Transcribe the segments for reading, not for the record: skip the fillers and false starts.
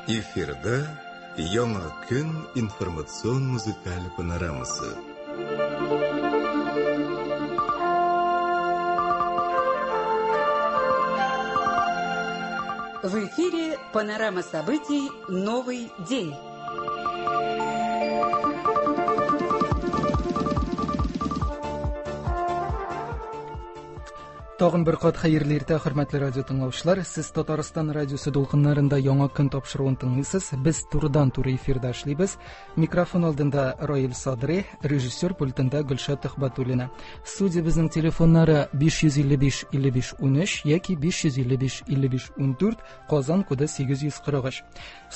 Эфирда Яңа көн информацион музыкаль панорамасы. В эфире панорама событий «Новый день». Тагын бер кат хәерле иртә, хөрмәтле радио тыңлаучылар. Сез Татарстан радиосы дулкыннарында яңа көн тапшыруын тыңлыйсыз. Без турыдан-туры эфирда эшлибез. Микрофон алдында Раил Садри, режиссер пультында Гөлшат Төхбәтуллина. Студиябезнең телефоннары 555 55 13 яки 555 55 14, Казан коды 843.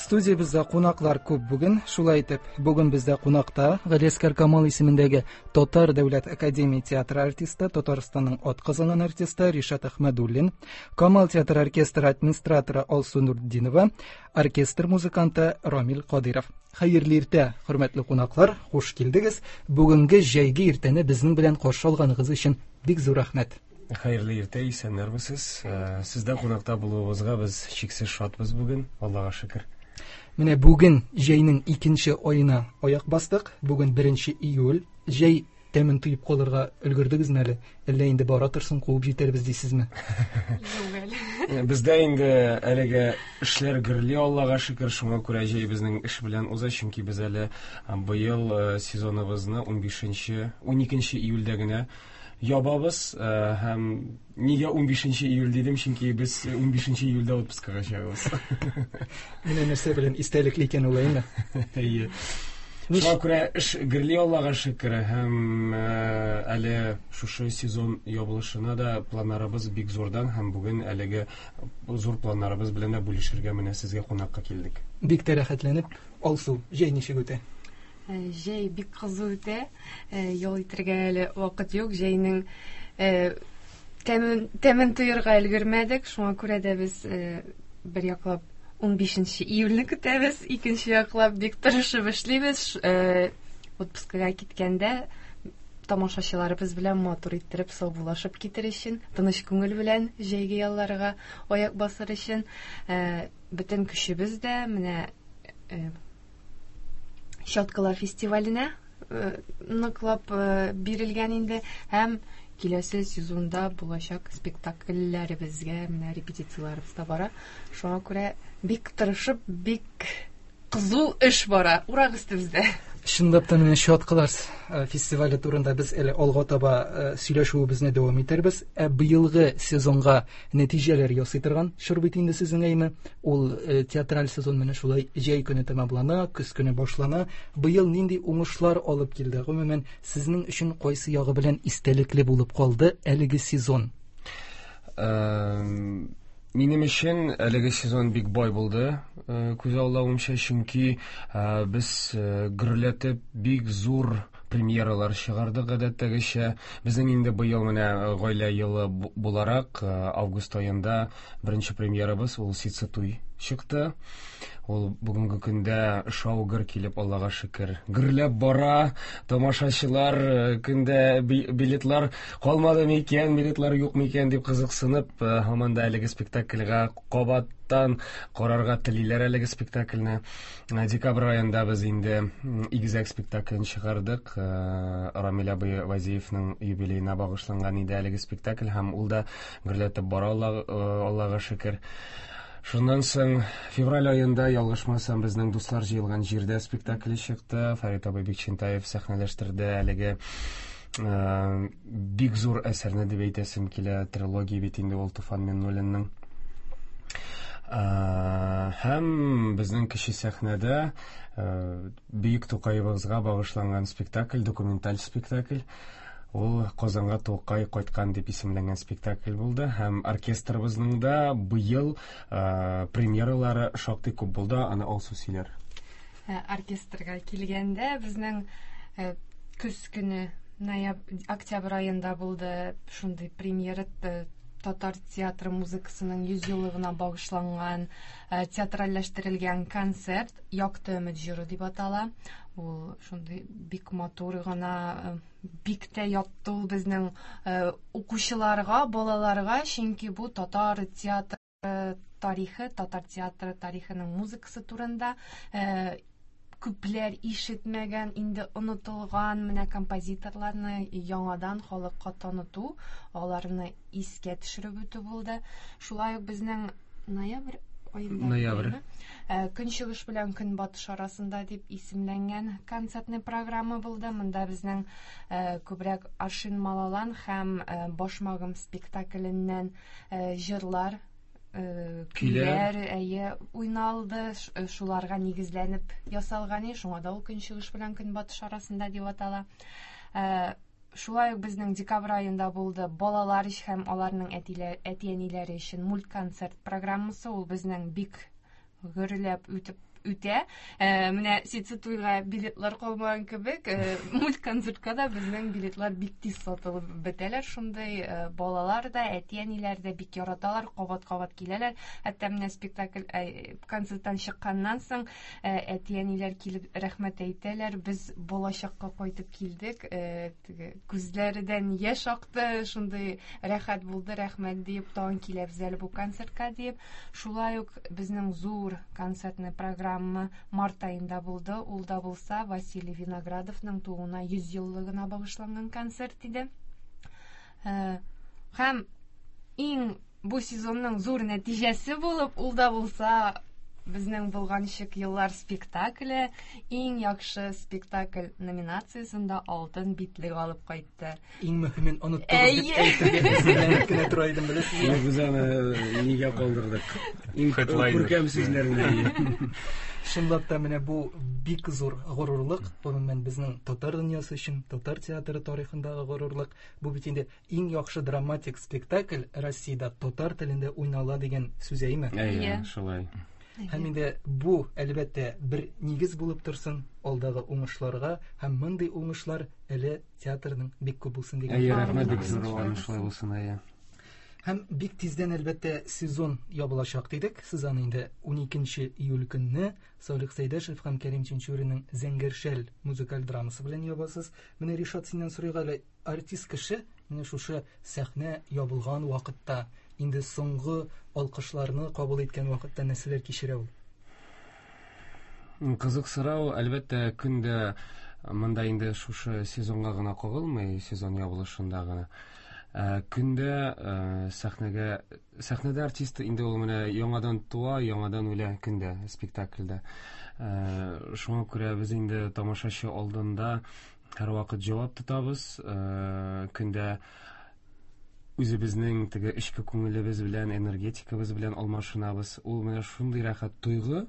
Студиябездә кунаклар күп бүген. Шулай итеп, бүген бездә кунакта Галиәсгар Камал исемендәге Татар дәүләт академия театры артисты, Татарстанның атказанган артисты Ришат Әхмәдуллин, Камал театры оркестры администраторы Алсу Нуртдинова, оркестр музыканты Рамил Кадыйров. Хәерле иртә, хөрмәтле кунаклар, хуш килдегез. Бүгенге җәйге иртәне безнең белән каршы алганыгыз өчен бик зур рәхмәт. Хәерле иртә, исәннәрмесез. Э, сездә кунакта булуыбызга без чиксез шатбыз бүген, Аллага шөкер. Менә бүген җәйнең икенче аена аяк бастык. Бүген 1 июль. Җәй тәмен тоеп калырга өлгердегезме әле? Әллә инде бара торсын куып җитәрбез дисезме? Юк әле. Э, бездә инде әлеге эшләр гөрли, Аллага шөкер, шуңа күрә җәй безнең эш белән уза, чөнки без әле э, быел э, сезоныбызны 15 12 июльдә генә ябабыз һәм нигә 15 июль дидем, чөнки без 15 июльдә отпускага чыгабыз. Менә нәрсә белән истәлекле икән ул, әйме? Әйе. Шуңа күрә эш гөрли, Аллага шөкер, һәм әле шушы сезон ябылышына да планнарыбыз бик зурдан һәм бүген әлеге зур планнарыбыз белән дә бүлешергә менә сезгә кунакка килдек. Бик тә рәхәтләнеп, Алсу, җәй ничек үтә? Җәй бик кызу үтә. Ял итәргә әле вакыт юк. Җәйнең тәмен, тәмен тоерга өлгермәдек. Шуңа күрә дә без бер яклап 15 июльне көтәбез, икенче яклап бик тырышып эшлибез. Отпускага киткәндә тамашачыларыбыз белән матур иттереп саубуллашып китер өчен, тыныч күңел белән җәйге ялларга аяк басыр өчен бөтен көчебез дә менә Щеткалар фестиваленә э, ныклап э, бирелгән инде һәм киләсе сезонда булачак спектакльләребезгә менә репетицияләребез дә бара. Шуңа күрә бик тырышып, бик кызу эш бара. Урак өстебездә. Чынлап та менә Чаткылар э, фестивале турында без әле алга таба э, сөйләшүебезне дәвам итәрбез. Ә быелгы сезонга нәтиҗәләр ясый торган чор бит инде сезнең әйме. Ул э, театраль сезон менә шулай җәй көне тәмамлана, көз көне башлана. Быел нинди уңышлар алып килде? Гомумән, сезнең өчен кайсы ягы белән истәлекле булып калды әлеге сезон? Минем өчен әлеге сезон бик бай булды, э, күз аллавымча, чөнки э, без э, гөрләтеп бик зур премьералар чыгардык гадәттәгечә. Безнең инде быел менә гаилә елы буларак, август аенда беренче премьерабыз ул Ситсы туй чыкты. Ул бүгенге көндә шау гөр килеп, Аллага шөкер, гөрләп бара. Тамашачылар көндә билетлар калмады микән, билетлар юк микән дип кызыксынып, э, һаман да әлеге спектакльгә кабаттан карарга телиләр әлеге спектакльне. Э, декабрь аенда без инде Игезәк спектаклен чыгардык. Э, Рамил абый Вазиевның юбилеена багышланган иде әлеге спектакль һәм ул да гөрләтеп бара, Аллага шөкер. Шуннан соң февраль аенда, ялгышмасам, безнең Дуслар җыелган җирдә спектакле чыкты. Фәрит абый Бикчәнтаев сәхнәләштерде әлеге Э, бик зур әсәрне дип әйтәсем килә трилогия бит инде ул Туфан Миңнуллинның э, һәм безнең кече сәхнәдә э, бөек Тукаебызга багышланган спектакль, документаль спектакль. Ул Казанга Тукай кайткан дип исемләнгән спектакль булды һәм оркестрыбызның да быел премьералары шактый күп булды, аны Алсу сөйләр. Оркестрга килгәндә безнең көз көне ноябрь октябрь аенда булды шундый премьера татар театры музыкасының 100 еллыгына багышланган театральләштерелгән концерт Якты өмет җыры дип атала. Ул шундый бик матур гына бик тә ятты ул безнең укучыларга, балаларга, чөнки бу татар театры Тарихы, татар театры тарихының музыкасы турында күпләр ишетмәгән, инде онытылган менә композиторларны яңадан халыкка таныту, аларны искә төшереп үтү булды. Шулай ук безнең ноябрь аенда Ноябрь. Көнчыгыш белән көнбатыш арасында дип исемләнгән концертный программа булды. Монда безнең күбрәк Аршин Малалан һәм Башмагым спектакленнән җырлар, көйләр. Көйләр, әйе, уйналды, шуларга нигезләнеп ясалган, шуңа да ул көнчыгыш белән көнбатыш арасында дип атала. Шулай ук безнең декабрь аенда булды балалар һәм аларның әти-әниләре өчен мультконцерт программасы. Ул безнең бик гөрләп үтеп үтә. Менә Сицитуйга билетлар калмаган кебек, мультконцертка да безнең билетлар бик тиз сатылып бетәләр. Шундый балалар да, әти-әниләр дә бик яраталар, кабат-кабат киләләр. Хәтта менә спектакль концерттан чыкканнан соң әти-әниләр килеп рәхмәт әйтәләр. Без балачакка кайтып килдек, теге күзләрдән яшь акты, шундый рәхәт булды, рәхмәт дип, тагын киләбез әле бу концертка дип. Шулай ук безнең зур концертный программа март аенда булды. Ул да булса Василий Виноградовның тууына 100 еллыгына багышланган концерт иде. Һәм иң бу сезонның зур нәтиҗәсе булып, ул да булса безнең Болганчык еллар спектакле иң яхшы спектакль номинациясендә алтын битлек алып кайтты. Иң мөһимен оныттыгыз дип әйтергә әзерләнеп кенә тора идем, беләсезме? Без аны нигә калдырдык? Иң Headliner. күркәм сүзләрне. Чынлап та менә бу бик зур горурлык, гомумән безнең татар дөньясы өчен, татар театры тарихындагы горурлык. Бу бит инде иң яхшы драматик спектакль Россиядә татар телендә уйнала дигән сүз, әйме? Әйе, шулай. Һәм инде бу, әлбәттә, бер нигез булып торсын алдагы уңышларга, һәм мондый уңышлар әле театрның бик күп булсын дигән. Әйе, рәхмәт бик зур, шулай булсын, әйе. Һәм бик тиздән, әлбәттә, сезон ябылачак дидек. Сез аны инде 12 июль көнне Салих Сәйдәшев һәм Кәрим Тинчуринның Зәңгәр шәл музыкаль драмасы белән ябасыз. Менә Ришат, синнән сорыйк әле, артист кеше менә шушы сәхнә ябылган вакытта, инде соңгы алкышларны кабул иткән вакытта нәрсәләр кичерә ул? Кызык сорау, әлбәттә, көндә монда инде шушы сезонга гына кагылмый, сезон ябылышында гына. Көндә сәхнәдә артист инде ул менә яңадан туа, яңадан үлә көндә спектакльдә. Шуңа күрә без инде тамашачы алдында һәрвакыт җавап тотабыз. Көндә үзебезнең теге эчке күңелебез белән, энергетикабыз белән алмашынабыз. Ул менә шундый рәхәт тойгы.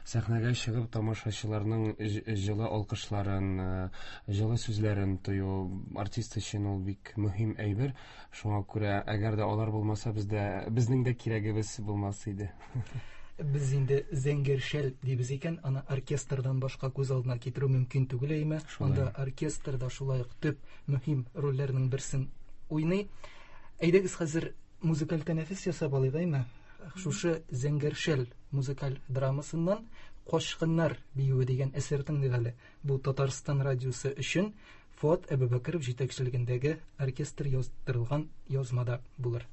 Сәхнәгә чыгып тамашачыларның җылы алкышларын, җылы сүзләрен тою артист өчен ул бик мөһим әйбер. Шуңа күрә, әгәр дә алар булмаса, безнең дә кирәгебез булмас иде. Без инде Зәңгәр шәл дибез икән, аны оркестрдан башка күз алдына китерү мөмкин түгел, әйме? Анда оркестр да шулай ук төп мөһим рольләрнең берсен уйный. Әйдәгез хәзер музыкаль тәнәфес ясап алыйк, әйме? Шушы Зәңгәр шәл музыкаль драмасыннан Качкыннар биюе дигән әсәр тыңлыйк әле. Бу Татарстан радиосы өчен Фуат Әбүбәкеров җитәкчелегендәге оркестр яздырылган язмада булыр.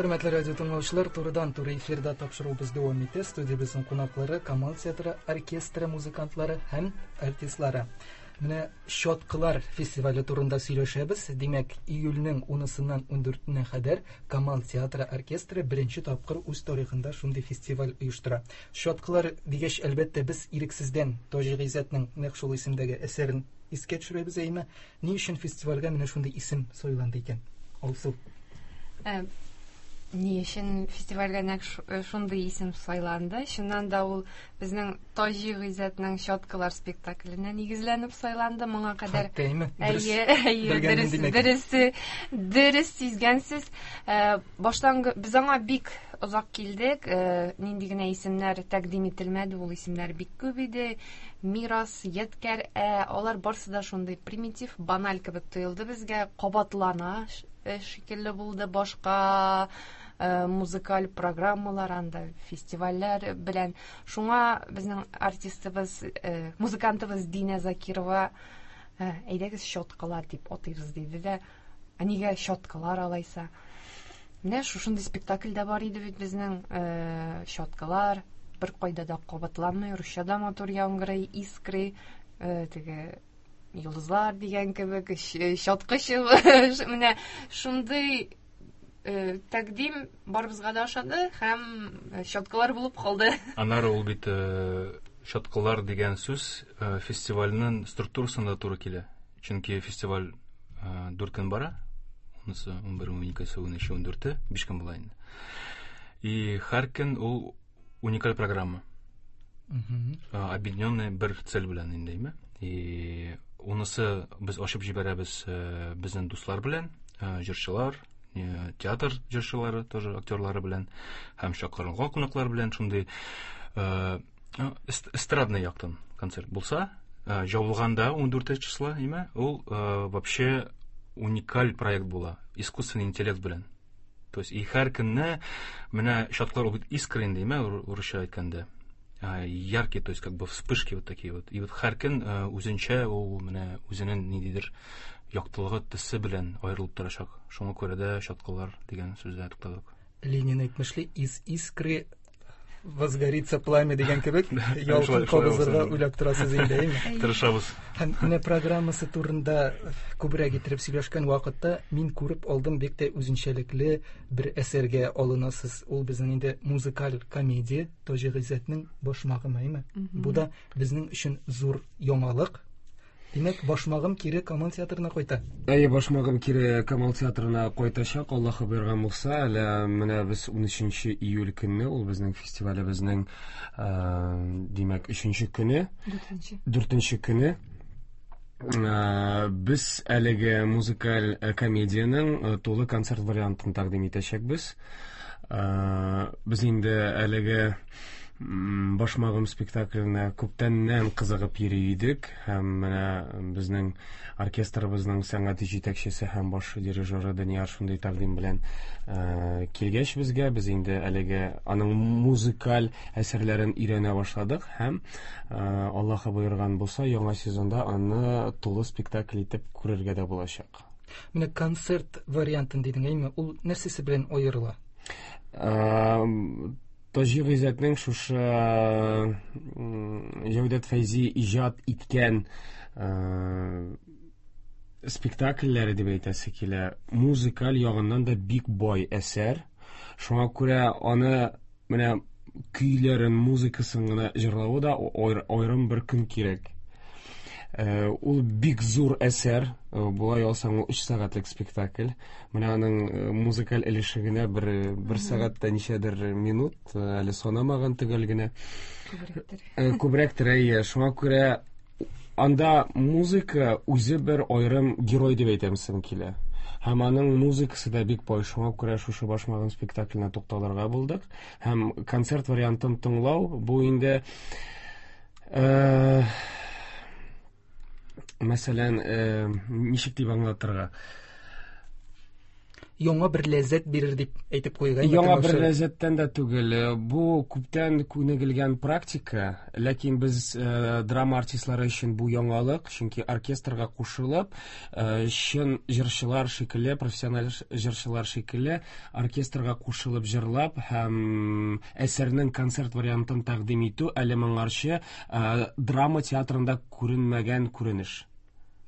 Хөрмәтле радио тыңлаучылар, турыдан-туры эфирда тапшыруыбыз дәвам итә. Студиябезнең кунаклары Камал театры оркестры музыкантлары һәм артистлары. Менә Чаткылар фестивале турында сөйләшәбез. Димәк, июльнең 10-сыннан 14-нә кадәр Камал театры оркестры беренче тапкыр үз тарихында шундый фестиваль оештыра. Чаткылар дигәч, әлбәттә, без ирексездән Таҗи Гыйззәтнең нәкъ шул исемдәге әсәрен искә төшерәбез, әйеме? Ни өчен фестивальгә менә шундый исем сайланды икән? Алсу. Э, ни өчен фестивальгә нәкъ э, шундый исем сайланды? Чыннан да ул безнең Таҗи Гыйззәтнең Чаткылар спектакленә нигезләнеп сайланды. Моңа кадәр Хәтта, Әйе, әйе, дөрес, дөресе, дөрес сизгәнсез. Э, баштан без аңа бик озак килдек. Нинди генә исемнәр тәкъдим ителмәде, ул исемнәр бик күп иде. Мирас, ядкәр, ә алар барсы да шундый примитив, баналь кебек тоелды безгә, кабатлана э, шикелле булды башка э, музыкаль программалар анда, фестивальләр белән. Шуңа безнең артистыбыз, э, музыкантыбыз Динә Закирова, әйдәгез щеткалар дип атыйбыз диде дә, ә нигә щеткалар алайса? Менә шушындый спектакль дә бар иде бит безнең, э, щеткалар, бер кайда да кабатланмый, русча да матур яңгырый, искры, э, теге йолдызлар дигән кебек, э, щетка менә шундый э, тәкъдим барыбызга да ошады һәм э, щеткалар булып калды. Аннары ул бит э, щеткалар дигән сүз э, фестивальнең структурасына да туры килә. Чөнки фестиваль 4 көн бара. Унысы, 11, 12, 13, 14, 5 көн була инде. И һәр көн ул уникаль программа. Объединенный бер цель белән инде, әйме? И унысы без ачып җибәрәбез безнең дуслар белән, җырчылар, театр җырчылары тоже актерлары белән һәм чакырылган кунаклар белән шундый эстрадный яктан концерт булса, җабылганда 14 числа, әйме, ул вообще уникаль проект була, искусственный интеллект белән. То есть и һәр көнне менә чаткылар ул бит искры инде, әйме, урысча әйткәндә. Яркие, то есть как бы вспышки вот такие вот. И вот һәр көн үзенчә ул менә үзенең ниндидер яктылыгы, төсе белән аерылып торачак. Шуңа күрә дә чаткылар дигән сүздә туктадык. Ленин әйтмешли, из искры возгорится пламя дигән кебек, ялкын кабызырга уйлап торасыз инде, әйеме? Тырышабыз. Һәм менә программасы турында күбрәк иттереп сөйләшкән вакытта мин күреп алдым, бик тә үзенчәлекле бер әсәргә алынасыз. Ул безнең инде музыкаль комедия Таҗи Гыйззәтнең Башмагым, әйеме? Бу да безнең өчен зур яңалык. Димәк, Башмагым кире Камал театрына кайта. Әйе, Башмагым кире Камал театрына кайтачак, Аллаһы боерган булса. Әле менә без 13 июль көнне, ул безнең фестивалебезнең, димәк, 3 көне. Дүртенче. Дүртенче көне. Без әлеге музыкаль комедиянең тулы концерт вариантын тәкъдим итәчәкбез. Без инде әлеге Башмагым спектакленә күптәннән кызыгып йөри идек һәм менә безнең оркестрыбызның сәнгати җитәкчесе һәм баш дирижеры Данияр шундый тәкъдим белән килгәч безгә, без инде әлеге аның музыкаль әсәрләрен өйрәнә башладык һәм Аллаһы боерган булса, яңа сезонда аны тулы спектакль итеп күрергә дә булачак. Менә концерт вариантын дидең, әйме? Ул нәрсәсе белән аерыла? Таҗи Гыйззәтнең шушы Җәүдәт Фәйзи иҗат иткән спектакльләре дип әйтәсе килә. Музыкаль ягыннан да бик бай әсәр. Шуңа күрә аны менә көйләрен, музыкасын гына җырлавы да аерым бер көн кирәк. Ул бик зур әсәр, болай алсаң, ул 3 сәгатьлек спектакль. Менә аның музыкаль өлеше генә бер бер сәгать тә ничәдер минут, әле санамаган төгәл генә. Күбрәктер. Күбрәктер, әйе. Шуңа күрә анда музыка үзе бер аерым герой дип әйтәмсем килә. Һәм аның музыкасы да бик бай, шуңа күрә шушы Башмагым спектакленә тукталырга булдык. Һәм концерт вариантын тыңлау, бу инде мәсәлән, ничек дип аңлатырга? яңа бер ләззәт бирер дип әйтеп куйган. Яңа бер ләззәттән дә түгел. Бу күптән күнегелгән практика, ләкин без драма артистлары өчен бу яңалык, чөнки оркестрга кушылып, чын җырчылар шикелле, профессиональ җырчылар шикелле оркестрга кушылып җырлап һәм әсәрнең концерт вариантын тәкъдим итү әле моңарчы драма театрында күренмәгән күренеш.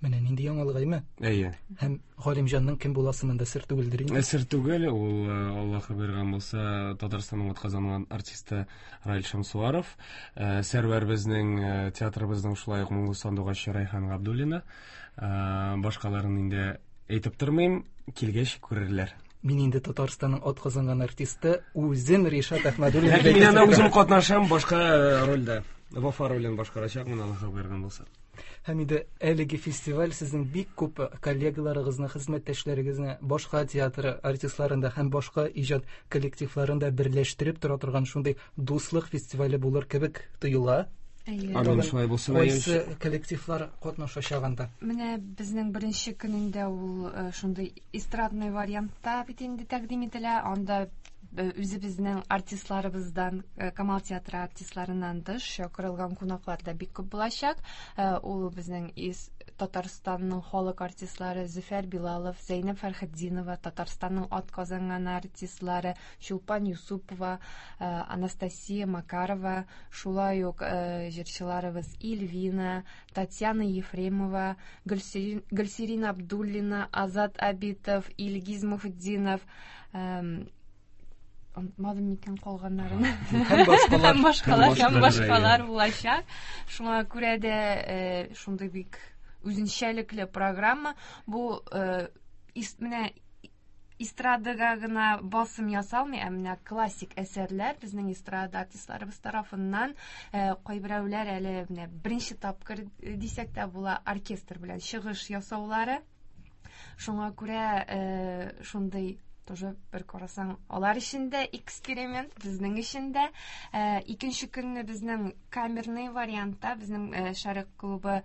Менә нинди яңалык, әйме? Әйе. Һәм Галимҗанның кем буласы монда сер түгелдер инде. Сер түгел, ул Аллаһы боерган булса, Татарстанның атказанган артисты Раил Шәмсуаров. Сәрвәр безнең театрыбызның шулай ук моңлы сандугачы Райхан Габдуллина. Башкаларын инде әйтеп тормыйм, килгәч күрерләр. Мин инде Татарстанның атказанган артисты, үзем Ришат Әхмәдуллин. Ләкин мин анда үзем катнашам, башка рольдә. Вафа ролен башкарачакмын, Аллаһы боерган булса. Һәм инде әлеге фестиваль сезнең бик күп коллегаларыгызны, хезмәттәшләрегезне, башка театр артистларын да һәм башка иҗат коллективларын да берләштереп тора торган шундый дуслык фестивале булыр кебек тоела. Амин, шулай булсын. Кайсы коллективлар катнашачак анда? Менә безнең беренче көнендә ул шундый эстрадный вариантта бит инде тәкъдим ителә. Анда үзебезнең артистларыбыздан, Камал театры артистларыннан тыш чакырылган кунаклар да бик күп булачак. Ул безнең из Татарстанның халык артистлары Зөфәр Билалов, Зәйнәб Фәрхетдинова, Татарстанның атказанган артистлары Чулпан Юсупова, Анастасия Макарова, шулай ук җырчыларыбыз Ильвина, Татьяна Ефремова, Гөлсирин Абдуллина, Азат Абитов, Илгиз Мухетдинов, онытмадым микән калганнарын. Һәм башкалар. Һәм башкалар, һәм башкалар булачак. Шуңа күрә дә шундый бик үзенчәлекле программа. Бу менә эстрадага гына басым ясалмый, ә менә классик әсәрләр безнең эстрада артистларыбыз тарафыннан кайберәүләр әле менә беренче тапкыр дисәк тә була оркестр белән чыгыш ясаулары. Шуңа күрә шундый тоже бер карасаң, алар өчен дә эксперимент, безнең өчен дә. Икенче көнне безнең камерный вариантта, безнең Шәрык клубы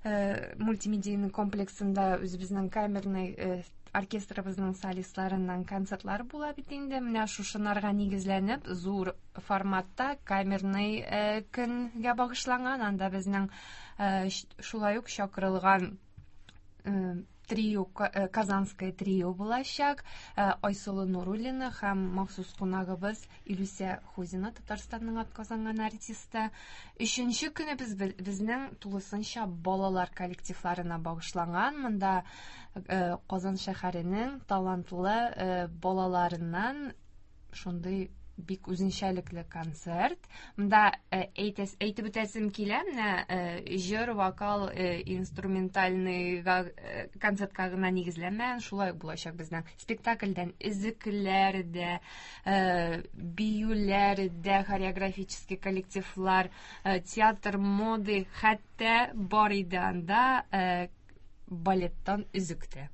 мультимедийный комплексында үзебезнең камерный оркестрыбызның солистларыннан концертлар була бит инде. Менә шушынарга нигезләнеп, зур форматта камерный көнгә багышланган. Анда безнең шулай ук чакырылган трио, Казанское трио булачак. Айсылу Нуруллина һәм махсус кунагыбыз Илүсә Хузина, Татарстанның атказанган артисты. Өченче көне безнең тулысынча балалар коллективларына багышланган. Монда Казан шәһәренең талантлы балаларыннан шундый бик үзенчәлекле концерт. Монда әйтеп үтәсем килә, менә җыр, вокал, инструментальныйга концертка гына нигезләнмәгән, шулай ук булачак безнең спектакльдән өзекләр дә, биюләр дә, хореографический коллективлар, театр моды, хәтта бар иде анда балеттан өзек тә.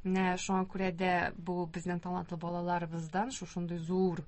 Менә шуңа күрә дә бу безнең талантлы балаларыбыздан шушындый зур,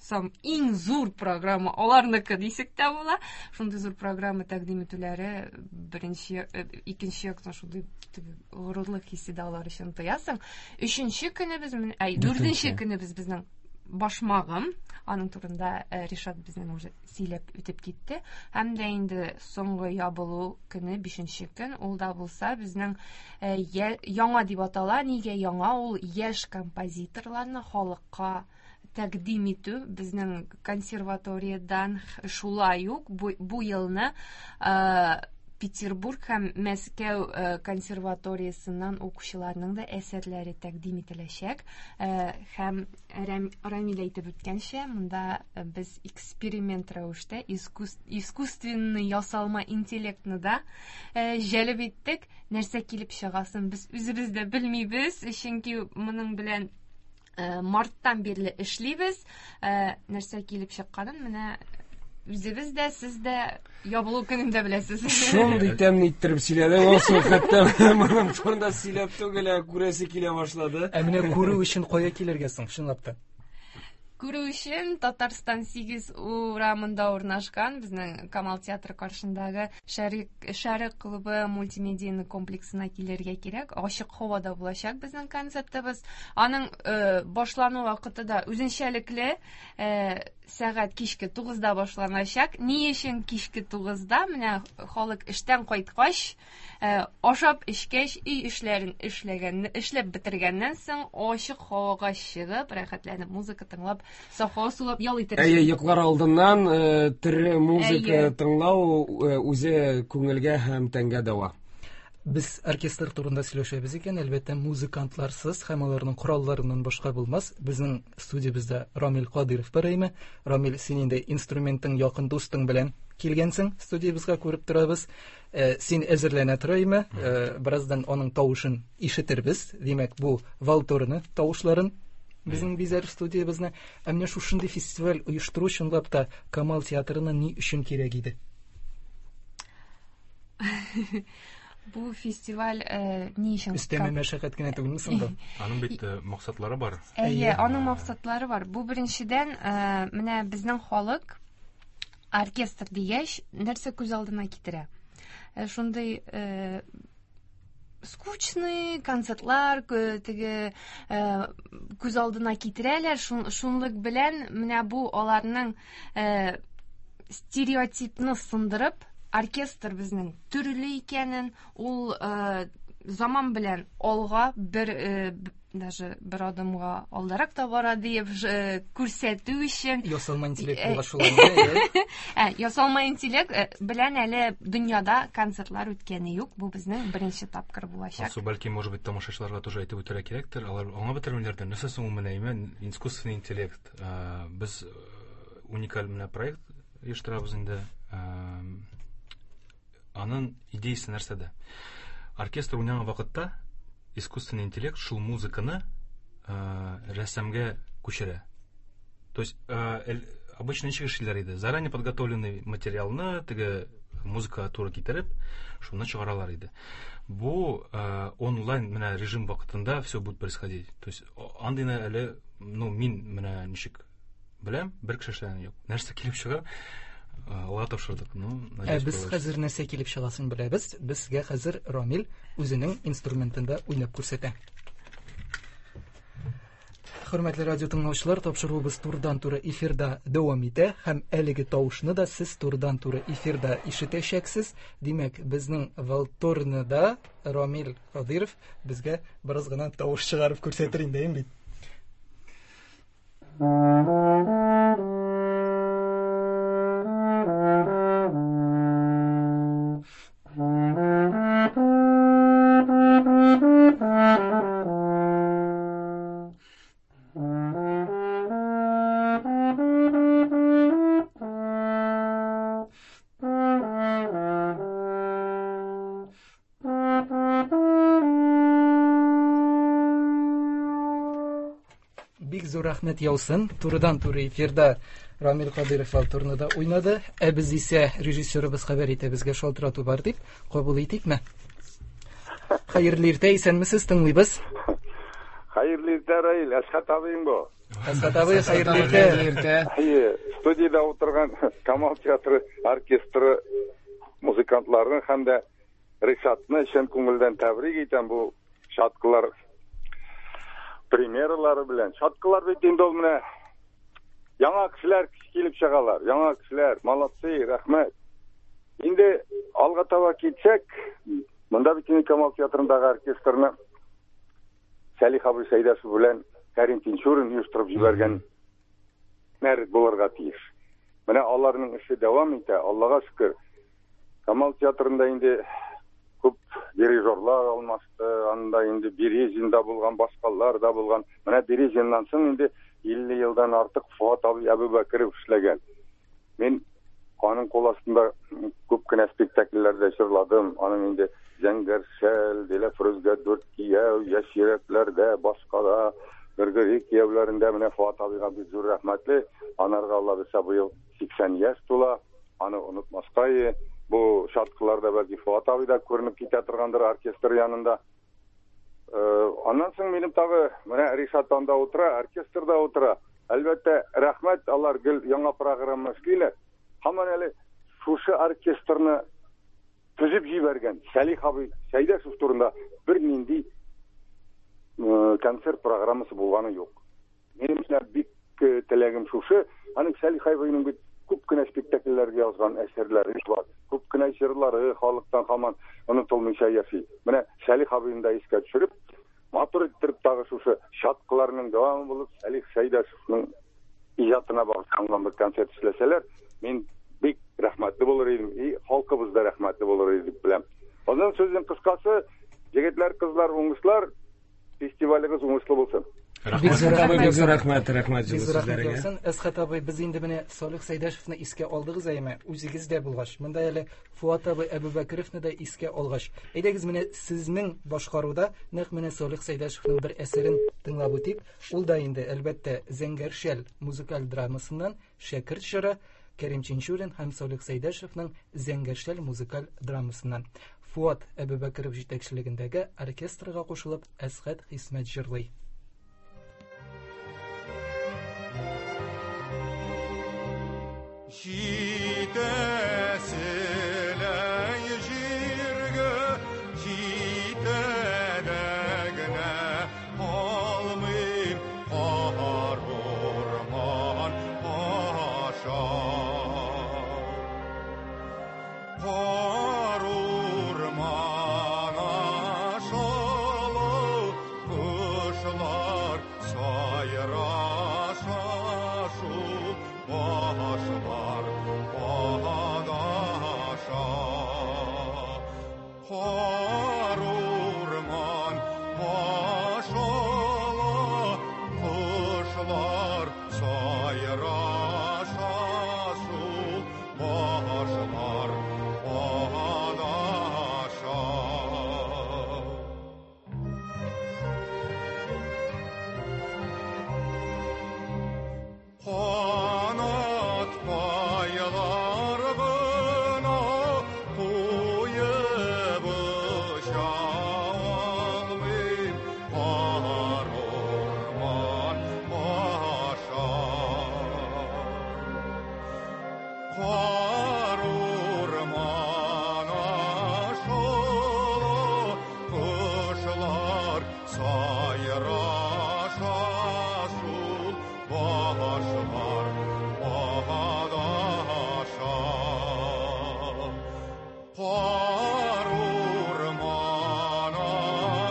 сам иң зур программа аларныкы дисәк тә була. Шундый зур программа тәкъдим итүләре беренче, икенче яктан шундый теге горурлык хисе дә алар өчен тоясың. Өченче көнебез, әй, дүртенче көнебез безнең башмагым. Аның турында Ришат безнең уже сөйләп үтеп китте. Һәм дә инде соңгы ябылу көне, бишенче көн, ул да булса безнең яңа дип атала. Нигә яңа? Ул яшь композиторларны халыкка тәкъдим итү безнең консерваториядан шулай ук бу елны Петербург һәм Мәскәү консерваториясеннән укучыларның да әсәрләре тәкъдим ителәчәк. Һәм Рамил әйтеп үткәнчә, монда без эксперимент рәвештә искусственный ясалма интеллектны да җәлеп иттек. Нәрсә килеп чыгасын без үзебез дә белмибез, чөнки моның белән марттан бирле эшлибез. Нәрсә килеп чыкканын менә үзебез дә, сез дә ябылу көнендә беләсез. Шундый тәмле иттереп сөйләдең, Алсу, хәтта моның турында сөйләп түгел, ә күрәсе килә башлады. Ә менә күрү өчен кая килергә соң, чынлап та? Күрү өчен Татарстан 8 урамында урнашкан безнең Камал театры каршындагы Шәрык клубы мультимедийный комплексына килергә кирәк. Ачык һавада булачак безнең концертыбыз. Аның башлану вакыты да үзенчәлекле, сәгать кичке 9-да башланачак. Ни өчен кичке 9-да? Менә халык эштән кайткач, ашап эчкәч, өй эшләрен эшләгән, эшләп бетергәннән соң ачык һавага чыгып, рәхәтләнеп музыка тыңлап, саф һава сулап ял итәргә. Әйе, йоклар алдыннан тере музыка тыңлау үзе күңелгә һәм тәнгә дәва. Без оркестр турында сөйләшәбез икән, әлбәттә, музыкантларсыз һәм аларның коралларыннан башка булмас. Безнең студиябездә Рамил Кадыйров бар әйме. Рамил, син инде инструментың якын дустың белән килгәнсең, студиябезгә күреп торабыз. Син әзерләнә тор әйме. Бераздан аның тавышын ишетербез. Димәк, бу валторны тавышларын безнең бизәр студиябезне. Ә менә шушындый фестиваль оештыру чынлап та Камал театрына ни өчен кирәк иде? Бу фестиваль ни өчен? Өстәмә мәшәкать кенә түгелме соң бу? Аның бит максатлары бар. Әйе, аның максатлары бар. Бу беренчедән, менә безнең халык оркестр дигәч, нәрсә күз алдына китерә? Шундый скучный концертлар теге күз алдына китерәләр. Шунлык белән менә бу аларның стереотипны сындырып, оркестр безнең төрле икәнен, ул заман белән алга бер даже бер адымга алдарак та бара диеп күрсәтү өчен. Ясалма интеллект булга шулай. Ясалма интеллект белән әле дөньяда концертлар үткәне юк. Бу безнең беренче тапкыр булачак. Алсу, бәлки, может быть, тамашачыларга тоже әйтеп үтәргә кирәктер. Алар аңлап бетермиләрдер. Нәрсә соң ул менә искусственный интеллект? Без уникаль менә проект оештырабыз инде. Аның идеясы нәрсәдә? Оркестр уйнаган вакытта искусственный интеллект шул музыканы рәсемгә күчерә. То есть обычно ничек эшлиләр иде? Заранее подготовленный материалны теге музыка туры китереп, шуны чыгаралар иде. Бу онлайн менә режим вакытында все будет происходить. То есть андыйны әле, ну, мин менә ничек беләм, бер кеше эшләгәне юк. Нәрсә килеп чыга? Алга тапшырдык. Ну, надеюсь, без хәзер нәрсә килеп чыгасын беләбез. Безгә хәзер Рамил үзенең инструментында уйнап күрсәтә. Хөрмәтле радио тыңлаучылар, тапшыруыбыз турыдан-туры эфирда дәвам итә һәм әлеге тавышны да сез турыдан-туры эфирда ишетәчәксез. Димәк, безнең валторнада Рамил Кадыйров безгә бераз гына тавыш чыгарып күрсәтер инде, әйме бит? Бик зур рәхмәт яусын. Турыдан-туры эфирда Рамил Кадыйров валторнада уйнады. Ә без исә режиссерыбыз хәбәр итә, безгә шалтырату бар дип, кабул итикме? Хәерле иртә, исәнмесез, тыңлыйбыз. Хәерле иртә, Раил, Әсхәт абыең бу. Әсхәт абый, хәерле иртә. Хәерле иртә. Әйе, студиядә утырган Камал театры оркестры музыкантларын һәм дә Ришатны чын күңелдән тәбрик итәм бу чаткылар премьералары белән. Чаткылар бит инде ул менә яңа кешеләр килеп чыгалар, яңа кешеләр, молодцы, рәхмәт. Инде алга таба китсәк, монда бит инде Камал театрындагы оркестрны Сәлих абый Сәйдәшев белән Кәрим Тинчурин оештырып җибәргән нәр булырга тиеш. Менә аларның эше дәвам итә, Аллага шөкер. Камал театрында инде күп дирижерлар алмашты, анда инде Березин да булган, башкалар да булган. Менә Березиннан соң инде 50 елдан артык Фуат абый Әбүбәкеров эшләгән. Мин аның кул астында күп кенә спектакльләрдә җырладым. Аның инде Зәңгәр шәл, Диләфрүзгә дүрт кияү, Яшь йөрәкләрдә, башкада, Гөргөри кияүләрендә менә Фуат абыйга бик зур рәхмәтле. Анарга Алла бирсә быел 80 яшь тула. Аны онытмаска. Бу чаткыларда бәлки Фуат абый да күренеп китә торгандыр оркестр янында. Аннан соң минем тагы менә Ришат анда утыра, оркестрда утыра. Әлбәттә, рәхмәт, алар гел яңа программа эшлиләр. Һаман әле шушы оркестрны төзеп җибәргән Сәлих абый Сәйдәшев турында бернинди концерт программасы булганы юк. Минем менә бик теләгем шушы, аның Сәлих абыйның бит күп кенә спектакльләргә язган әсәрләре бар, күп кенә җырлары халыктан һаман онытылмыйча яши. Менә Сәлих абыйны да искә төшереп, матур иттереп тагы шушы чаткыларның дәвамы булып Сәлих Сәйдәшевның иҗатына багышланган бер концерт эшләсәләр, мин бик рәхмәтле булыр идем, и халкыбыз да рәхмәтле булыр иде дип беләм. Аннан сүзнең кыскасы, егетләр, кызлар, уңышлар, фестивалегез уңышлы булсын. Бик зур Рәхмәт, бик зур рәхмәт, рәхмәт Бик җылы зур рәхмәт сүзләреңә. яусын. Әсхәт абый, без инде менә Салих Сәйдәшевны искә алдыгыз әйме, үзегез дә булгач. Монда әле Фуат абый Әбүбәкеровны да искә алгач. Әйдәгез менә сезнең башкаруда нәкъ менә Салих Сәйдәшевның бер әсәрен тыңлап үтик. Ул да инде әлбәттә Зәңгәр шәл музыкаль драмасыннан Шәкерт җыры, Кәрим Тинчурин һәм Салих Сәйдәшевның Зәңгәр шәл музыкаль драмасыннан. Фуат Әбүбәкеров җитәкчелегендәге оркестрга кушылып Әсхәт Хисмәт җырлый. Җитәселәй җиргә җитә дә генә алмыйм кар урман аша. Кар урман ашалы кошлар сайраша шул башлар адаша. Кар урман ашала кошлар сайраша шул башлар адаша. Канат пайлар гына куеп оча алмыйм кар урман аша. Кар урман аша кошлар сайраша шул башлар адаша. Кар урман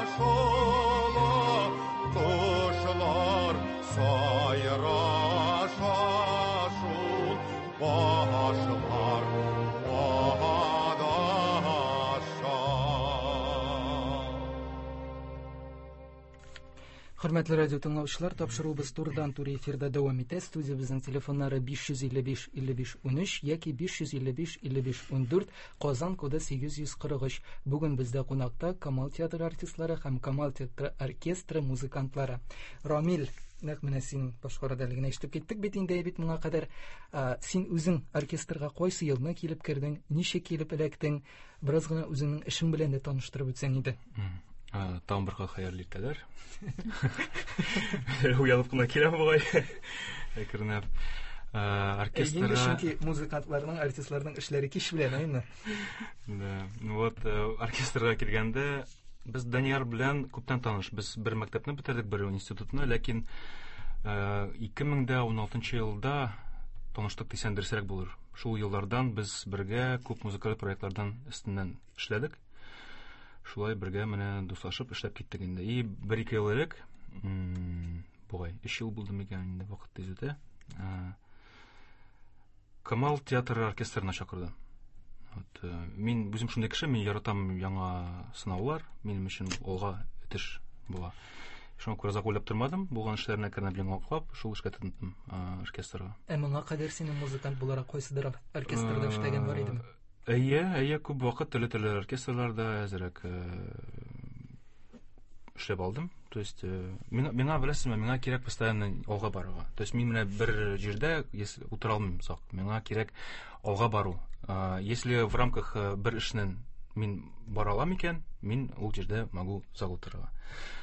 ашала кошлар сайраша шул башлар адаша. Хөрмәтле радио тыңлаучылар, тапшыруыбыз турыдан-туры эфирда дәвам итә. Студиябезнең телефоннары 555 55 13 яки 555 55 14, Казан коды 843. Бүген бездә кунакта Камал театры артистлары һәм Камал театры оркестры музыкантлары. Рамил, нәкъ менә син башкарада әле генә ишетеп киттек бит инде бит моңа кадәр. Син үзең оркестрга кайсы елны килеп кердең, ничек килеп эләктең? Бераз гына үзеңнең эшең белән дә таныштырып үтсәң иде. Тагын бер кат хәерле иртәләр. Уянып кына киләм бугай. Әкренләп. Инде Оркестрга чөнки музыкантларның, артистларның эшләре кич белән, әйеме? Да. Ну вот, оркестрга килгәндә без Данияр белән күптән таныш. Без бер мәктәпне бетердек, бер институтны, ләкин 2016 елда таныштык дисәң дөресрәк булыр. Шул еллардан без бергә күп музыкаль проектлардан өстеннән эшләдек. Шулай бергә менә дуслашып эшләп киттек инде. И бер-ике ел элек, бугай, 3 ел булды микән инде, вакыт тиз үтә. Камал театры оркестрына чакырды. Вот, мин үзем шундый кеше, мин яратам яңа сынаулар, минем өчен алга үтеш була. Шуңа күрә озак уйлап тормадым, булган эшләрне әкренләп яңалыклап, шул эшкә тотындым, оркестрга. Ә моңа кадәр синең музыкант буларак кайсыдыр оркестрда эшләгән бар идеме? Әйе, әйе, күп вакыт төрле-төрле оркестрларда әзрәк эшләп алдым. То есть, миңа беләсезме, миңа кирәк постоянно алга барырга. То есть мин менә бер җирдә, если утыра алмыйм озак, миңа кирәк алга бару. Если в рамках бер эшнең Мин бара алам икән, мин ул җирдә могу зал утырырга.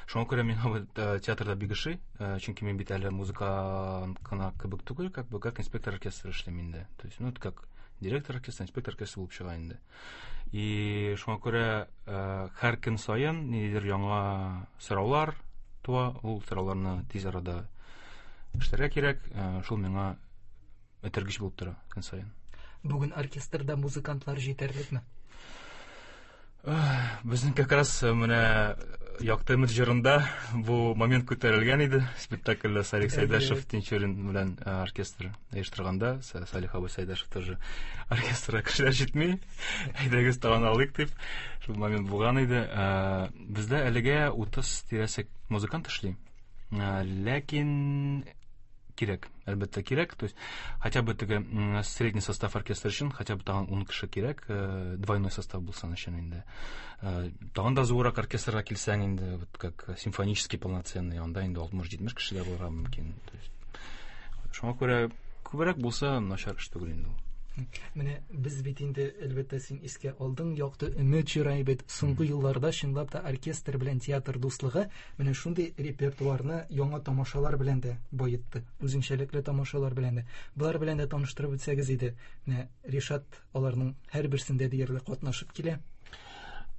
Шуңа күрә миңа бу театрда бик ошый, чөнки мин бит әле музыкант кына кебек түгел, как бы как инспектор оркестра эшлим инде. То есть, ну, это как директор оркестра, инспектор оркестра булып чыга инде. И шуңа күрә һәр көн саен ниндидер яңа сораулар туа, ул сорауларны тиз арада эшләргә кирәк. Шул миңа этәргеч булып тора көн саен. Бүген оркестрда музыкантлар җитәрлекме? Безнең как раз менә Якты өмет җырында бу момент күтәрелгән иде. Спектакльдә Салих Сәйдәшев Тинчурин белән оркестр оештырганда, Салих абый Сәйдәшев тоже оркестрга кешеләр җитми, әйдәгез тагын алыйк дип, шул момент булган иде. Бездә әлегә 30 тирәсе музыкант эшли. Ләкин кирәк, әлбәттә кирәк. То есть хотя бы теге средний состав оркестра өчен хотя бы тагын 10 кеше кирәк, двойной состав булсын өчен инде. Тагын да зуррак оркестрга килсәң инде, вот как симфонический полноценный, анда инде 60-70 кеше дә булырга мөмкин. То есть шуңа күрә күбрәк булса начар эш түгел инде ул. Менә без бит инде, әлбәттә, син искә алдың, Якты өмет җыры бит. Соңгы елларда чынлап та оркестр белән театр дуслыгы менә шундый репертуарны яңа тамашалар белән дә баетты, үзенчәлекле тамашалар белән дә. Болар белән дә таныштырып үтсәгез иде. Менә Ришат аларның һәрберсендә диярлек катнашып килә.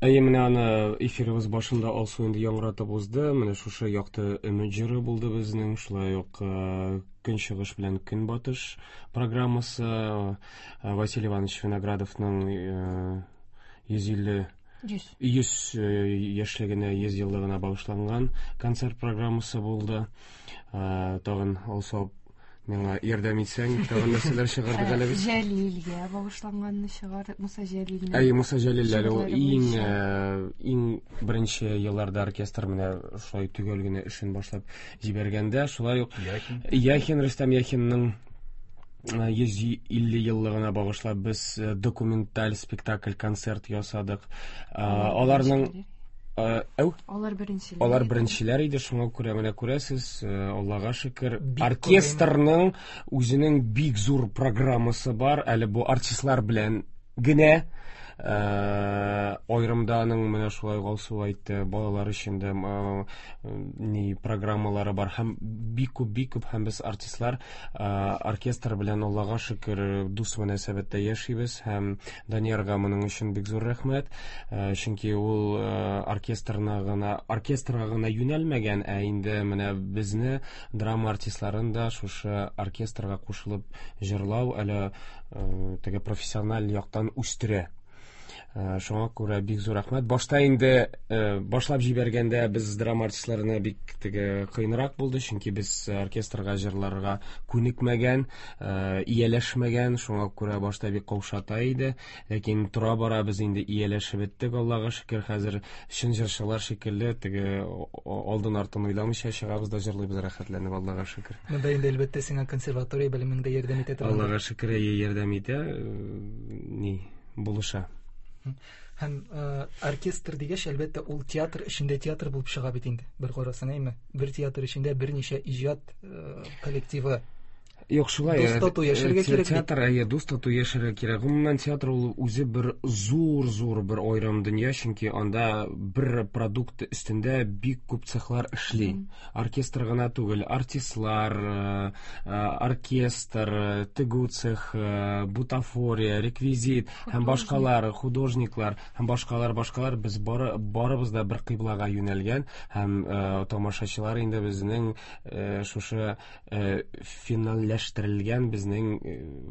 Әйе, менә аны эфирыбыз башында Алсу инде яңгыратып узды. Менә шушы Якты өмет җыры булды безнең, шулай ук Көнчыгыш белән Көнбатыш программасы, Василий Иванович Виноградовның 150 100 яшьлегенә, 100 еллыгына багышланган концерт программасы булды. Тагын Алсу миңа ярдәм итсәң, тагын нәрсәләр чыгардык әле без? Җәлилгә багышланганны чыгардык, Муса Җәлилне. Әйе, Муса Җәлил әле ул иң беренче елларда оркестр менә шулай төгәл генә эшен башлап җибәргәндә, шулай ук Яхин. Яхин, Рөстәм Яхинның 150 еллыгына багышлап без документаль спектакль, концерт ясадык. Аларның әү? Алар беренчеләр. Алар беренчеләр иде, шуңа күрә менә күрәсез, Аллага шөкер, оркестрның үзенең бик зур программасы бар, әле бу артистлар белән генә, аерымда аның менә шулай Алсу әйтте, балалар өчен дә ни программалары бар һәм бик күп, бик күп, һәм без артистлар оркестр белән Аллага шөкер дус мөнәсәбәттә яшибез һәм Даниярга моның өчен бик зур рәхмәт, чөнки ул оркестрга гына юнәлмәгән, ә инде менә безне драма артистларын да шушы оркестрга кушылып җырлау әле теге профессиональ яктан үстерә. Шуңа күрә бик зур рәхмәт. Башта инде башлап җибәргәндә без драма артистларына бик теге кыенрак булды, чөнки без оркестрга җырларга күнекмәгән, ияләшмәгән, шуңа күрә башта бик каушата иде. Ләкин тора-бара без инде ияләшеп беттек, Аллага шөкер, хәзер чын җырчылар шикелле теге алдын артын уйламыйча чыгабыз да җырлыйбыз рәхәтләнеп, Аллага шөкер. Монда инде әлбәттә сиңа консерватория белемеңдә ярдәм итә торган. Аллага шөкер, әйе, ярдәм итә, ни булыша. Һәм оркестр дигәч, әлбәттә, ул театр эчендә театр булып чыга бит инде. Бер карасаң, әйме? Бер театр эчендә берничә иҗат коллективы. Юк, шулай, Дус тату яшәргә кирәк бит. Театр, әйе, дус тату яшәргә кирәк. Гомумән, театр ул үзе бер зур-зур бер аерым дөнья, чөнки анда бер продукт өстендә бик күп цехлар эшли. Оркестр гына түгел, артистлар, оркестр, тегү цехы, бутафория, реквизит һәм башкалар, художниклар һәм башкалар, башкалар. Без барыбыз да бер кыйблага юнәлгән һәм тамашачылар инде безнең шушы финалләштерелгән безнең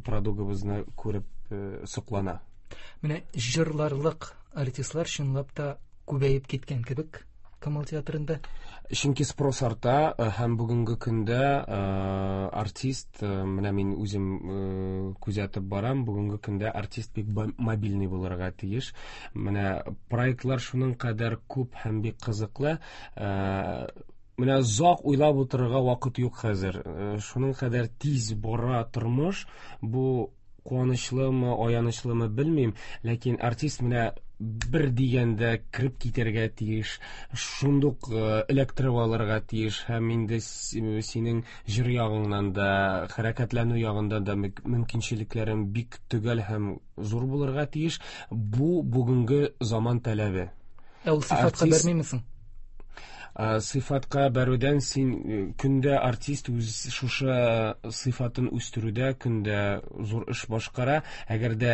продуктыбызны күреп соклана. Менә җырларлык артистлар чынлап та күбәеп киткән кебек Камал театрында. Чөнки спрос арта, һәм бүгенге көндә артист, менә мин үзем күзәтеп барам, бүгенге көндә артист бик мобильный булырга тиеш. Менә проектлар шуның кадәр күп һәм бик кызыклы. Менә озак уйлап утырырга вакыт юк хәзер. Шуның кадәр тиз бара тормыш, бу куанычлымы, аянычлымы белмим, ләкин артист менә бер дигәндә кереп китәргә тиеш, шундук эләктереп алырга тиеш һәм инде синең җыр ягыңнан да, хәрәкәтләнү ягыннан да мөмкинчелекләрең бик төгәл һәм зур булырга тиеш. Бу бүгенге заман таләбе. Ә ул сыйфатка бәрмиме соң? Сыйфатка бәрүдән син көндә артист үз шушы сыйфатын үстерүдә көндә зур эш башкара. Әгәр дә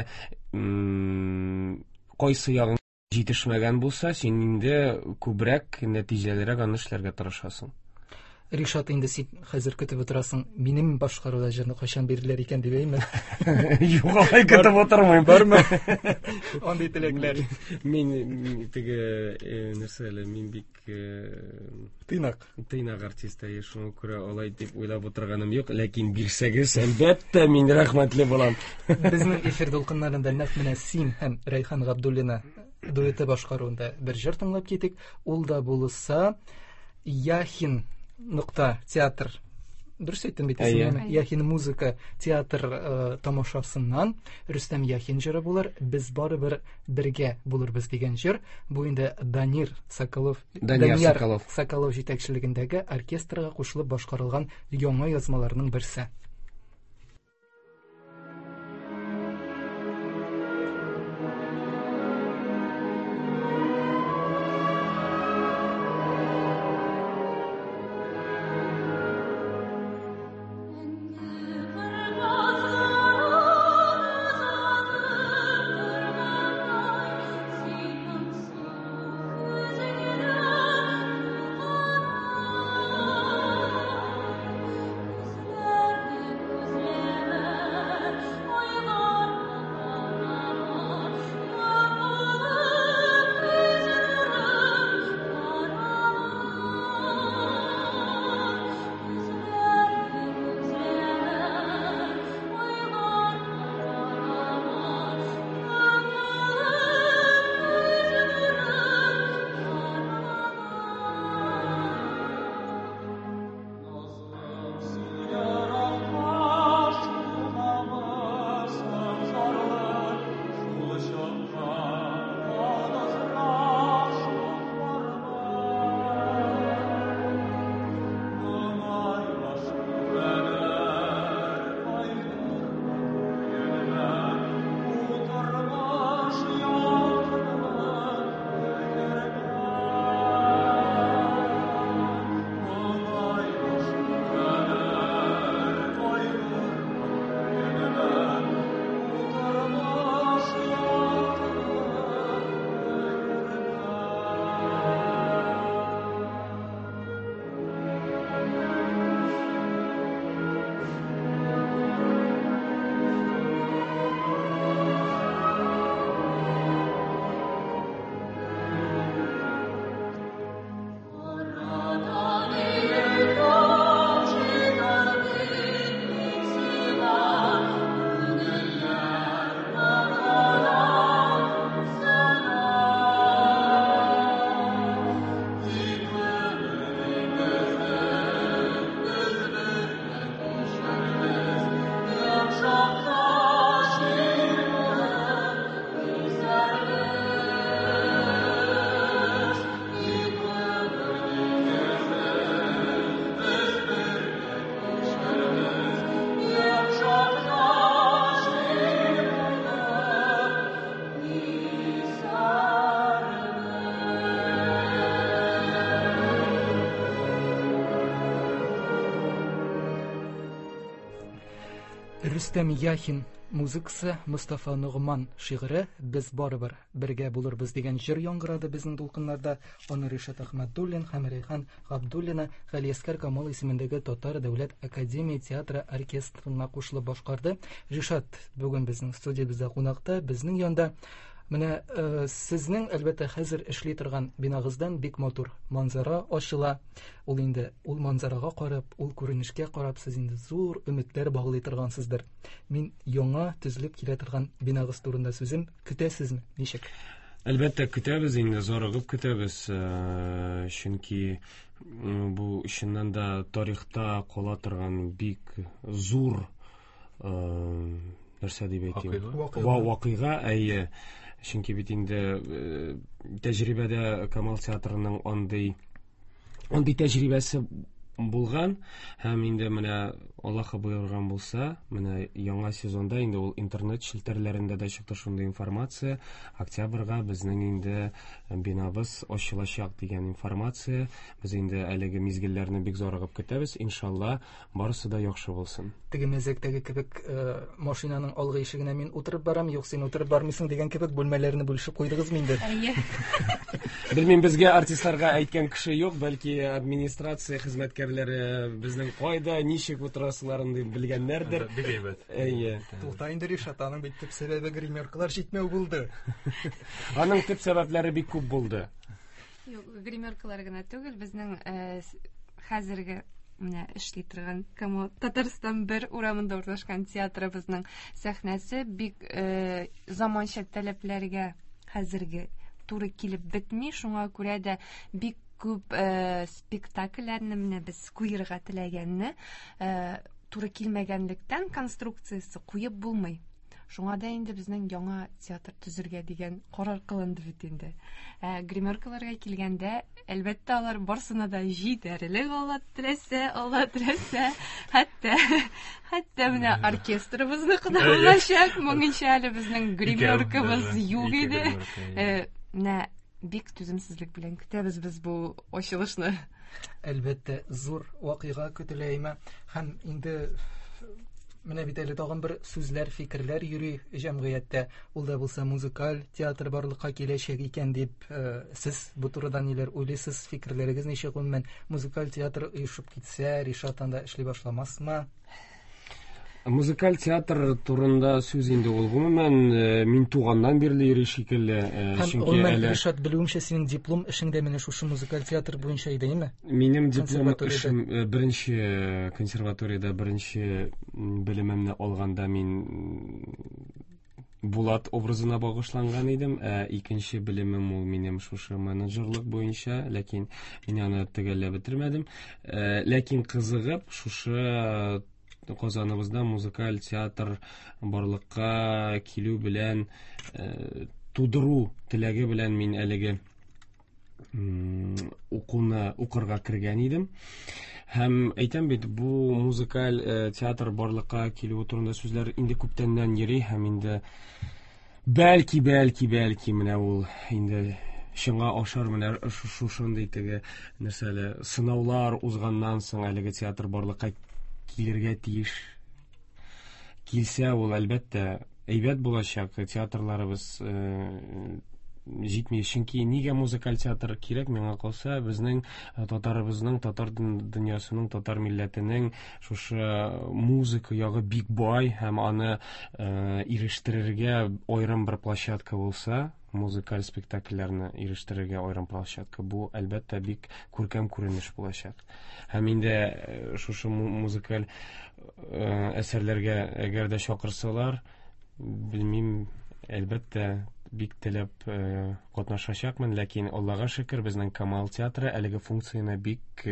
кайсы ягың җитешмәгән булса, син инде күбрәк, нәтиҗәлерәк аны эшләргә тырышасың. Ришат, инде син хәзер көтеп утырасың, минем башкаруда җырны кайчан бирерләр икән дип, әйме? Юк, алай көтеп утырмыйм. Бармы? Андый теләкләр. Мин теге нәрсә әле, мин бик тыйнак. Тыйнак артист, әйе, шуңа күрә алай дип уйлап утырганым юк, ләкин бирсәгез, әлбәттә, мин рәхмәтле булам. Безнең эфир дулкыннарында нәкъ менә син һәм Рәйхан Габдуллина дуэты башкаруында бер җыр тыңлап китик. Ул да булса Яхин нокта театр. Дөрес әйттем бит исемен? Яхин музыка театр тамашасыннан Рөстәм Яхин җыры булыр. Без барыбер бергә булырбыз дигән җыр. Бу инде Данир Соколов, Данияр Соколов. Соколов җитәкчелегендәге оркестрга кушылып башкарылган яңа язмаларның берсе. Рөстәм Яхин музыкасы, Мостафа Ногман шигыре Без барыбер бергә булырбыз дигән җыр яңгырады безнең дулкыннарда. Аны Ришат Әхмәдуллин һәм Рәйхан Габдуллина Галиәсгар Камал исемендәге Татар дәүләт академия театры оркестрына кушылып башкарды. Ришат бүген безнең студиябездә кунакта, безнең янда. Менә сезнең, әлбәттә, хәзер эшли торган бинагыздан бик матур манзара ачыла. Ул инде ул манзарага карап, ул күренешкә карап, сез инде зур өметләр баглый торгансыздыр. Мин яңа төзелеп килә торган бинагыз турында сүзем. Көтәсезме? Ничек? Әлбәттә, көтәбез инде, зарыгып көтәбез. Чөнки бу чыннан да тарихта кала торган бик зур нәрсә дип әйтим? Вакыйга. Вакыйга, әйе. Чөнки бит инде тәҗрибәдә Камал театрының андый андый тәҗрибәсе булган һәм инде менә Аллаһы боерган булса, менә яңа сезонда инде ул интернет челтәрләрендә дә чыкты шундый информация, октябрьгә безнең инде бинабыз ачылачак дигән информация. Без инде әлеге мизгелләрне бик зарыгып көтәбез. Иншалла, барысы да яхшы булсын. Теге мәзәктәге кебек, машинаның алгы ишегенә мин утырып барам, юк, син утырып бармыйсың дигән кебек бүлмәләрне бүлешеп куйдыгызмы инде? Әйе. Белмим, безгә артистларга әйткән кеше юк, бәлки администрация хезмәткәрләре безнең кайда, ничек утырасыларын дип белгәннәрдер. Бик әйбәт. Әйе. Тукта инде, Ришат, аның бит төп сәбәбе гримеркалар җитмәү булды. Аның төп сәбәпләре бик күп булды. Юк, гримеркалар гына түгел, безнең хәзерге менә эшли торган Камал Татарстан бер урамында урнашкан театрыбызның сәхнәсе бик заманча таләпләргә хәзерге туры килеп бетми, шуңа күрә дә бик күп спектакльләрне менә без куерга теләгәнне туры килмәгәнлектән конструкциясе куеп булмый. Шуңа да инде безнең яңа театр төзергә дигән карар кылынды бит инде. Гримеркаларга килгәндә, әлбәттә, алар барсына да җитәрлек, Алла теләсә, Алла теләсә. Хәтта, хәтта менә оркестрыбызныкы да булачак. Моңынча әле безнең гримеркабыз юк иде. Менә бик түземсезлек белән көтәбез без бу ачылышны. Әлбәттә, зур вакыйга көтелә име. Һәм инде менә бит әле тагын бер сүзләр, фикерләр йөри җәмгыятьтә. Ул да булса музыкаль театр барлыкка киләчәк икән дип, сез бу турыда ниләр уйлыйсыз, фикерләрегез ничек гомумән? Музыкаль театр оешып китсә, Ришат анда эшли башламасмы? Музыкаль театр турында сүз инде ул гомумән мин туганнан бирле йөри шикелле, чөнки гомумән, әле Ришат, белүемчә, синең диплом эшең дә менә шушы музыкаль театр буенча иде, әйеме? Минем диплом эшем беренче консерваториядә беренче белемемне алганда мин Булат образына багышланган идем, ә икенче белемем ул минем шушы менеджерлык буенча, ләкин мин аны төгәлләп бетермәдем. Ләкин кызыгып шушы Казаныбызда музыкаль театр барлыкка килү белән тудыру теләге белән мин әлеге укуны укырга кергән идем. Һәм әйтәм бит, бу музыкаль театр барлыкка килүе турында сүзләр инде күптәннән йөри һәм инде бәлки, бәлки, бәлки менә ул инде чынга ашар, менә шушындый теге нәрсәле сынаулар узганнан соң әлеге театр барлыкка килергә тиеш. Килсә ул әлбәттә әйбәт булачак, театрларыбыз җитми. Чөнки нигә музыкаль театр кирәк, миңа калса, безнең татарыбызның, татар дөньясының, татар милләтенең шушы музыка ягы бик бай һәм аны ирештерергә аерым бер площадка булса, музыкаль спектакльләрне ирештерергә аерым площадка, бу әлбәттә бик күркәм күренеш булачак. Һәм инде шушы музыкаль әсәрләргә әгәр дә чакырсалар, белмим, әлбәттә, бик теләп катнашачакмын, ләкин Аллага шөкер, безнең Камал театры әлеге функцияне бик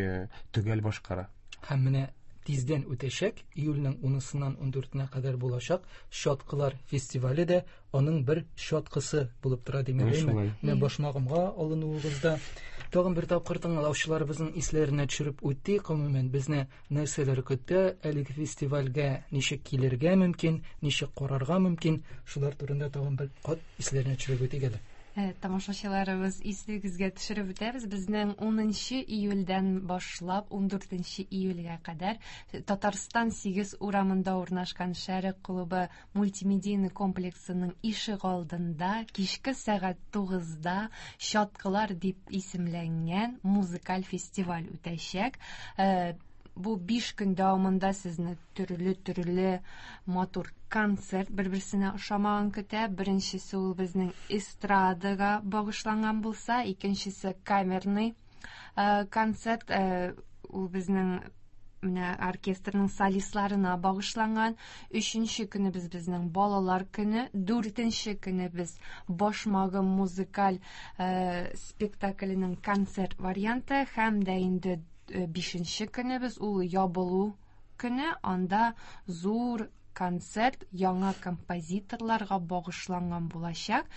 төгәл башкара. Һәм менә тиздән үтәчәк, июльнең унысыннан ундүртенә кадәр булачак Чаткылар фестивале дә аның бер чаткысы булып тора, димәк, әйме? Менә башмагымга алынуыгызда тагын бер тапкыр тыңлаучыларыбызның исләренә төшереп үтик, гомумән, безне нәрсәләр көтә, әлеге фестивальгә ничек килергә мөмкин, ничек карарга мөмкин, шулар турында тагын бер кат исләренә төшереп үтик әле. Тамашачыларыбыз, исегезгә төшереп үтәбез, безнең 10 июльдән башлап 14 июльгә кадәр Татарстан 8 урамында урнашкан Шәрык клубы мультимедийный комплексының ишек алдында кичке сәгать 9-да Чаткылар дип исемләнгән музыкаль фестиваль үтәчәк. Бу 5 көн дәвамында сезне төрле-төрле матур концерт бер-берсенә ошамаган көтә. Беренчесе ул безнең эстрадага багышланган булса, икенчесе камерный концерт, ул безнең менә оркестрның солистларына багышланган. Өченче көнебез безнең балалар көне, дүртенче көнебез Башмагым музыкаль спектакленең концерт варианты һәм дә инде бишенче көнебез ул ябылу көне, анда зур концерт яңа композиторларга багышланган булачак.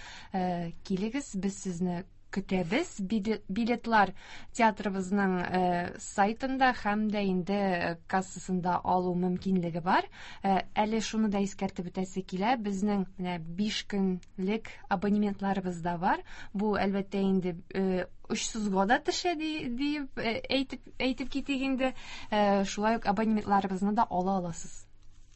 Килегез, без сезне көтәбез. Билетлар театрыбызның сайтында һәм дә инде кассасында алу мөмкинлеге бар. Әле шуны да искәртеп үтәсе килә, безнең менә 5 көнлек абонементларыбыз да бар. Бу, әлбәттә, инде очсызга да төшә диеп әйтеп китик инде. Шулай ук абонементларыбызны да ала аласыз.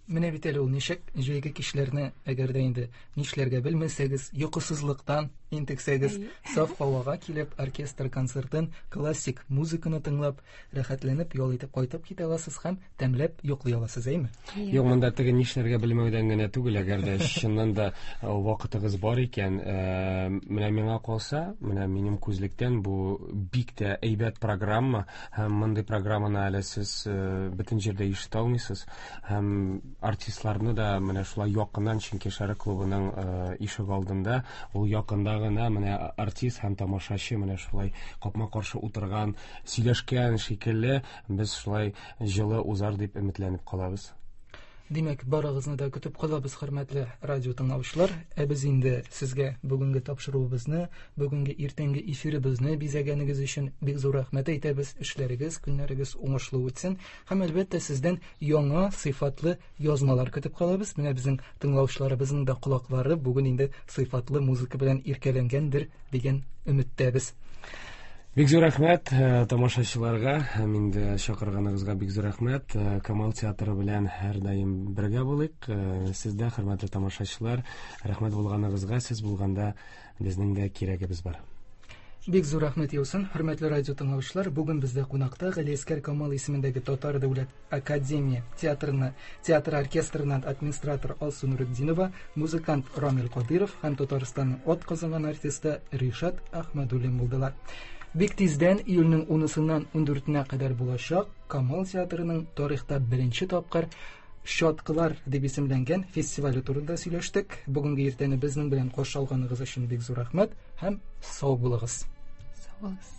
Менә бит әле ул ничек җәйге кичләрне, әгәр дә инде нишләргә белмәсәгез, йокысызлыктан интексәгез, саф һавага килеп, оркестр концертын, классик музыканы тыңлап, рәхәтләнеп ял итеп кайтып китә аласыз һәм тәмләп йоклый аласыз, әйме? Юк, монда теге нишләргә белмәүдән генә түгел, әгәр дә чыннан да вакытыгыз бар икән, менә миңа калса, менә минем күзлектән бу бик тә әйбәт программа, һәм мондый программаны әле сез бөтен җирдә ишетә алмыйсыз, һәм артистларны да менә шулай якыннан, чөнки Шәрык клубының ишек алдында, ул якында гына менә артист һәм тамашачы менә шулай капма-каршы утырган, сөйләшкән шикелле, без шулай җылы узар дип өметләнеп калабыз. Димәк, барыгызны да көтеп калабыз, хөрмәтле радио тыңлаучылар. Ә без инде сезгә бүгенге тапшыруыбызны, бүгенге иртәнге эфирыбызны бизәгәнегез өчен бик зур рәхмәт әйтәбез. Эшләрегез, көннәрегез уңышлы үтсен. Һәм әлбәттә сездән яңа сыйфатлы язмалар көтеп калабыз. Менә безнең тыңлаучыларыбызның да колаклары бүген инде сыйфатлы музыка белән иркәләнгәндер дигән өметтәбез. Бик зур рәхмәт тамашачыларга һәм инде чакырганыгызга бик зур рәхмәт. Камал театры белән һәрдаим бергә булыйк. Сез дә, хөрмәтле тамашачылар, рәхмәт булганыгызга, сез булганда безнең дә кирәгебез бар. Бик зур рәхмәт яусын, хөрмәтле радио тыңлаучылар. Бүген бездә кунакта Галиәсгар Камал исемендәге Татар дәүләт академия театрына, театр оркестрыннан администратор Алсу Нуретдинова, музыкант Рамил Кадыров һәм Татарстанның ат казанган артисты Ришат Әхмәдуллин булдылар. Бик тиздән июльнең 10-сыннан 14-нә кадәр булачак Камал театрының тарихта беренче тапкыр Чаткылар дип исемләнгән фестивале турында сөйләштек. Бүгенге иртәне безнең белән каршы алганыгыз өчен бик зур рәхмәт һәм сау булыгыз. Сау булыгыз.